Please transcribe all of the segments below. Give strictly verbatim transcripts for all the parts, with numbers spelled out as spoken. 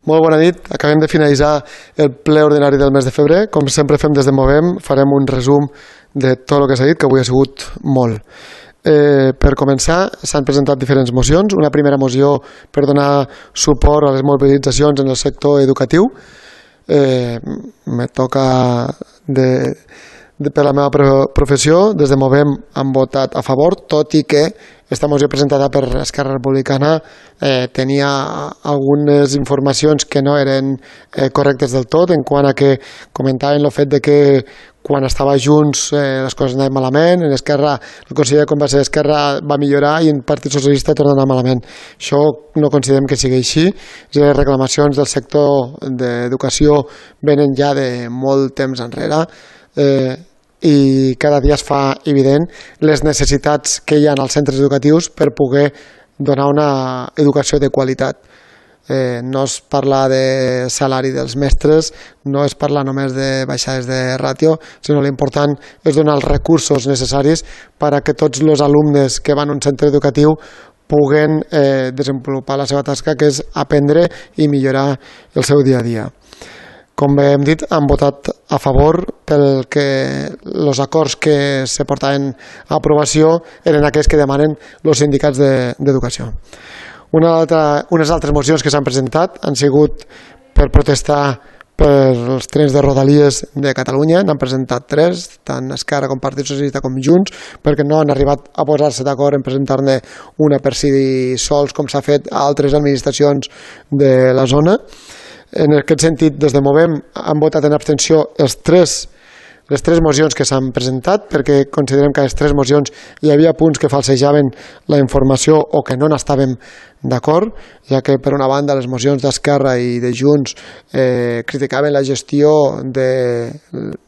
Molt bona nit. Acabem de finalitzar el ple ordinari del mes de febrer. Com sempre fem des de Movem, farem un resum de tot el que s'ha dit, que avui ha sigut molt. Eh, per començar, s'han presentat diferents mocions. Una primera moció per donar suport a les mobilitzacions en el sector educatiu. Eh, me toca de, de, per la meva professió. Des de Movem han votat a favor, tot i que aquesta moció presentada per Esquerra Republicana eh, tenia algunes informacions que no eren eh, correctes del tot, en quant a que comentaven el fet de que quan estava junts eh, les coses anaven malament, en Esquerra, el conseller com va ser Esquerra va millorar i en Partit Socialista torna a anar malament. Això no considerem que sigui així. Les reclamacions del sector d'educació venen ja de molt temps enrere, eh, i cada dia es fa evident les necessitats que hi ha als centres educatius per poder donar una educació de qualitat. Eh, no es parla de salari dels mestres, no es parla només de baixades de ràtio, sinó l'important és donar els recursos necessaris per a que tots els alumnes que van a un centre educatiu puguen eh, desenvolupar la seva tasca, que és aprendre i millorar el seu dia a dia. Com bé hem dit, han votat a favor pel que els acords que se portaven a aprovació eren aquells que demanen els sindicats d'educació. Una altra, unes altres mocions que s'han presentat han sigut per protestar pels trens de Rodalies de Catalunya. N'han presentat tres, tant Esquerra com Partit Socialista com Junts, perquè no han arribat a posar-se d'acord en presentar-ne una per si sols, com s'ha fet a altres administracions de la zona. En aquest sentit, des de Movem han votat en abstenció els tres, les tres mocions que s'han presentat, perquè considerem que a les tres mocions hi havia punts que falsejaven la informació o que no n'estàvem d'acord, ja que per una banda les mocions d'Esquerra i de Junts eh, criticaven la gestió de,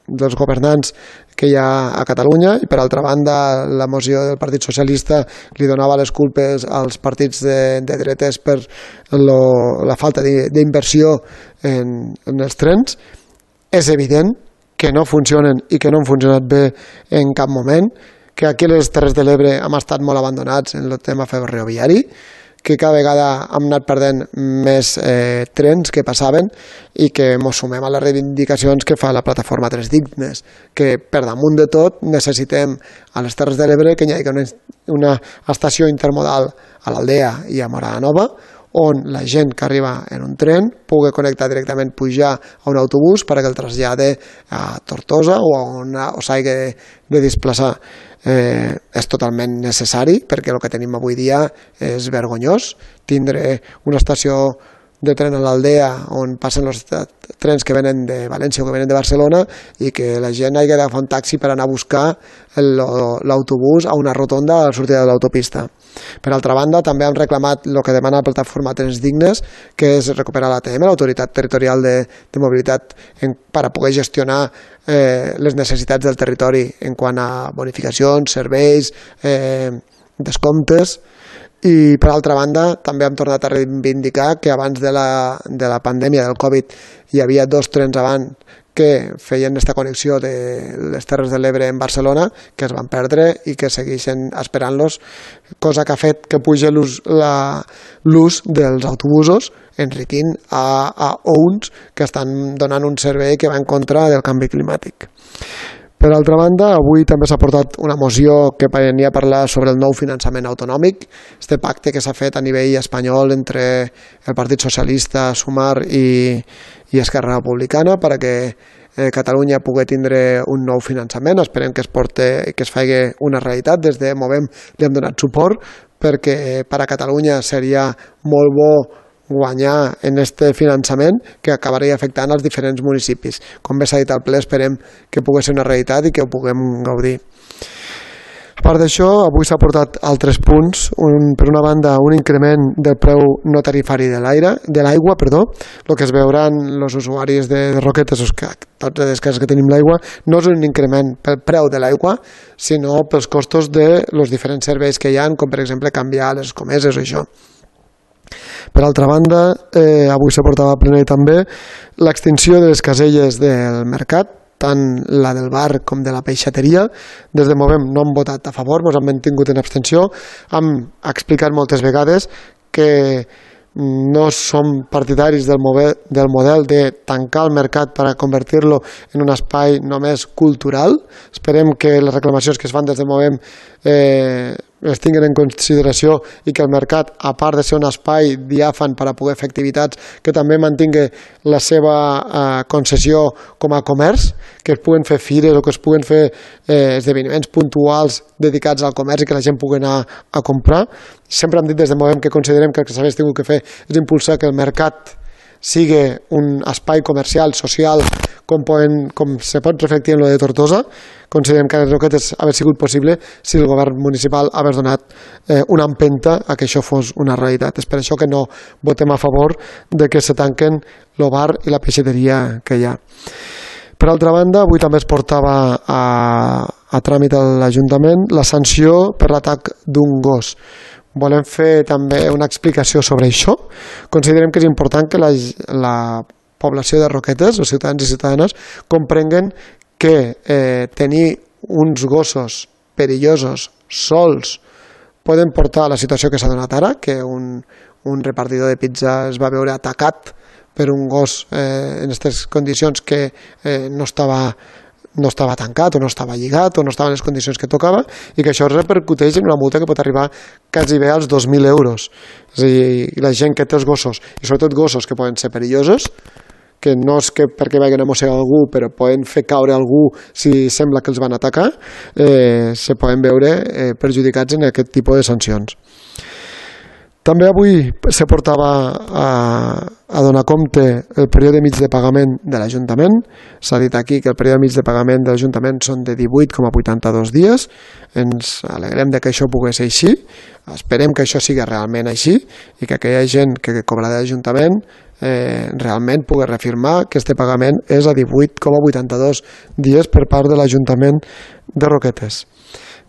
dels governants que hi ha a Catalunya, i per altra banda la moció del Partit Socialista li donava les culpes als partits de, de dretes per lo, la falta d'inversió en, en els trens. És evident que no funcionen i que no han funcionat bé en cap moment, que aquí a les Terres de l'Ebre hem estat molt abandonats en el tema ferroviari, que cada vegada hem anat perdent més eh, trens que passaven i que ens sumem a les reivindicacions que fa la plataforma Tres Dignes, que per damunt de tot necessitem a les Terres de l'Ebre que hi hagi una, una estació intermodal a l'Aldea i a Morada Nova, on la gent que arriba en un tren pugui connectar directament, pujar a un autobús perquè el trasllade a Tortosa o, o s'hagi de, de desplaçar. Eh, és totalment necessari, perquè el que tenim avui dia és vergonyós. Tindre una estació de tren a l'Aldea on passen els trens que venen de València o que venen de Barcelona i que la gent hagi d'agafar un taxi per anar a buscar l'autobús a una rotonda a la sortida de l'autopista. Per altra banda, també hem reclamat el que demana la plataforma Trens Dignes, que és recuperar l'A T M, l'Autoritat Territorial de, de Mobilitat, en, per a poder gestionar eh, les necessitats del territori en quant a bonificacions, serveis, eh, descomptes. I per altra banda també hem tornat a reivindicar que abans de la, de la pandèmia del Covid hi havia dos trens abans que feien aquesta connexió de les Terres de l'Ebre en Barcelona, que es van perdre i que segueixen esperant-los, cosa que ha fet que pugi l'ús dels autobusos, enriquint a, a uns que estan donant un servei que va en contra del canvi climàtic. Per altra banda, avui també s'ha portat una moció que venia a parlar sobre el nou finançament autonòmic, este pacte que s'ha fet a nivell espanyol entre el Partit Socialista, Sumar i, i Esquerra Republicana perquè eh, Catalunya pugui tindre un nou finançament. Esperem que es porte, que es faci una realitat. Des de Movem li hem donat suport perquè per a Catalunya seria molt bo guanyar en este finançament que acabaria afectant als diferents municipis. Com bé s'ha dit al ple, esperem que pugui ser una realitat i que ho puguem gaudir. A part d'això, avui s'ha portat altres punts. Un, per una banda, un increment del preu no tarifari de l'aire, de l'aigua, perdó. El que es veuran els usuaris de, de Roquetes, que tots les cases que tenim l'aigua, no és un increment pel preu de l'aigua, sinó pels costos dels diferents serveis que hi ha, com per exemple canviar les escomeses o això. Per altra banda, eh, avui s'ha portat a plenari també l'extinció de les caselles del mercat, tant la del bar com de la peixateria. Des de Movem no hem votat a favor, ens hem mantingut en abstenció. Hem explicat moltes vegades que no som partidaris del model, del model de tancar el mercat per a convertir-lo en un espai només cultural. Esperem que les reclamacions que es fan des de Movem eh, es tinguin en consideració i que el mercat, a part de ser un espai diàfan per a poder fer activitats, que també mantingui la seva eh, concessió com a comerç, que es puguen fer fires o que es puguen fer eh, esdeveniments puntuals dedicats al comerç i que la gent pugui anar a comprar. Sempre hem dit des de Movem que considerem que el que s'hagués tingut que fer és impulsar que el mercat sigui un espai comercial, social, com, poden, com se pot reflectir en lo de Tortosa. Considerem que les Roquetes hagués sigut possible si el govern municipal hagués donat eh, una empenta a que això fos una realitat. És per això que no votem a favor de que se tanquen el bar i la peixateria que hi ha. Per altra banda, avui també es portava a, a tràmit a l'Ajuntament la sanció per l'atac d'un gos. Volem fer també una explicació sobre això. Considerem que és important que la, la població de Roquetes, els ciutadans i ciutadanes, comprenguen que eh, tenir uns gossos perillosos sols poden portar a la situació que s'ha donat ara, que un, un repartidor de pizza es va veure atacat per un gos eh, en aquestes condicions que eh, no estava no estava tancat o no estava lligat o no estava en les condicions que tocava i que això repercuteix en una multa que pot arribar quasi bé als dos mil euros. És a dir, la gent que té els gossos, i sobretot gossos que poden ser perillosos, que no és que perquè vagin a mossegar algú, però poden fer caure algú si sembla que els van atacar, eh, se poden veure eh, perjudicats en aquest tipus de sancions. També avui se portava a, a donar compte el període mig de pagament de l'Ajuntament. S'ha dit aquí que el període mig de pagament de l'Ajuntament són de divuit coma vuitanta-dos dies. Ens alegrem de que això pogués ser així. Esperem que això sigui realment així i que aquella gent que cobra de l'Ajuntament eh, realment pugui reafirmar que este pagament és a divuit coma vuitanta-dos dies per part de l'Ajuntament de Roquetes.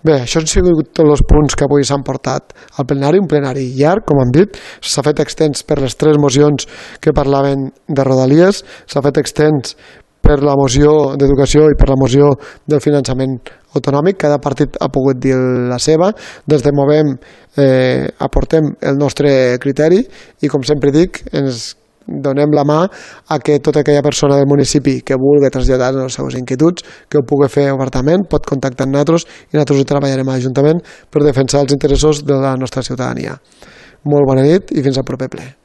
Bé, això han sigut tots els punts que avui s'han portat al plenari, un plenari llarg, com hem dit, s'ha fet extens per les tres mocions que parlaven de Rodalies, s'ha fet extens per la moció d'educació i per la moció del finançament autonòmic, cada partit ha pogut dir la seva, des de Movem eh, aportem el nostre criteri i, com sempre dic, ens donem la mà a que tota aquella persona del municipi que vulgui traslladar les seves inquietuds, que ho pugui fer obertament, pot contactar amb nosaltres i nosaltres ho treballarem a l'Ajuntament per defensar els interessos de la nostra ciutadania. Molt bona nit i fins al proper ple.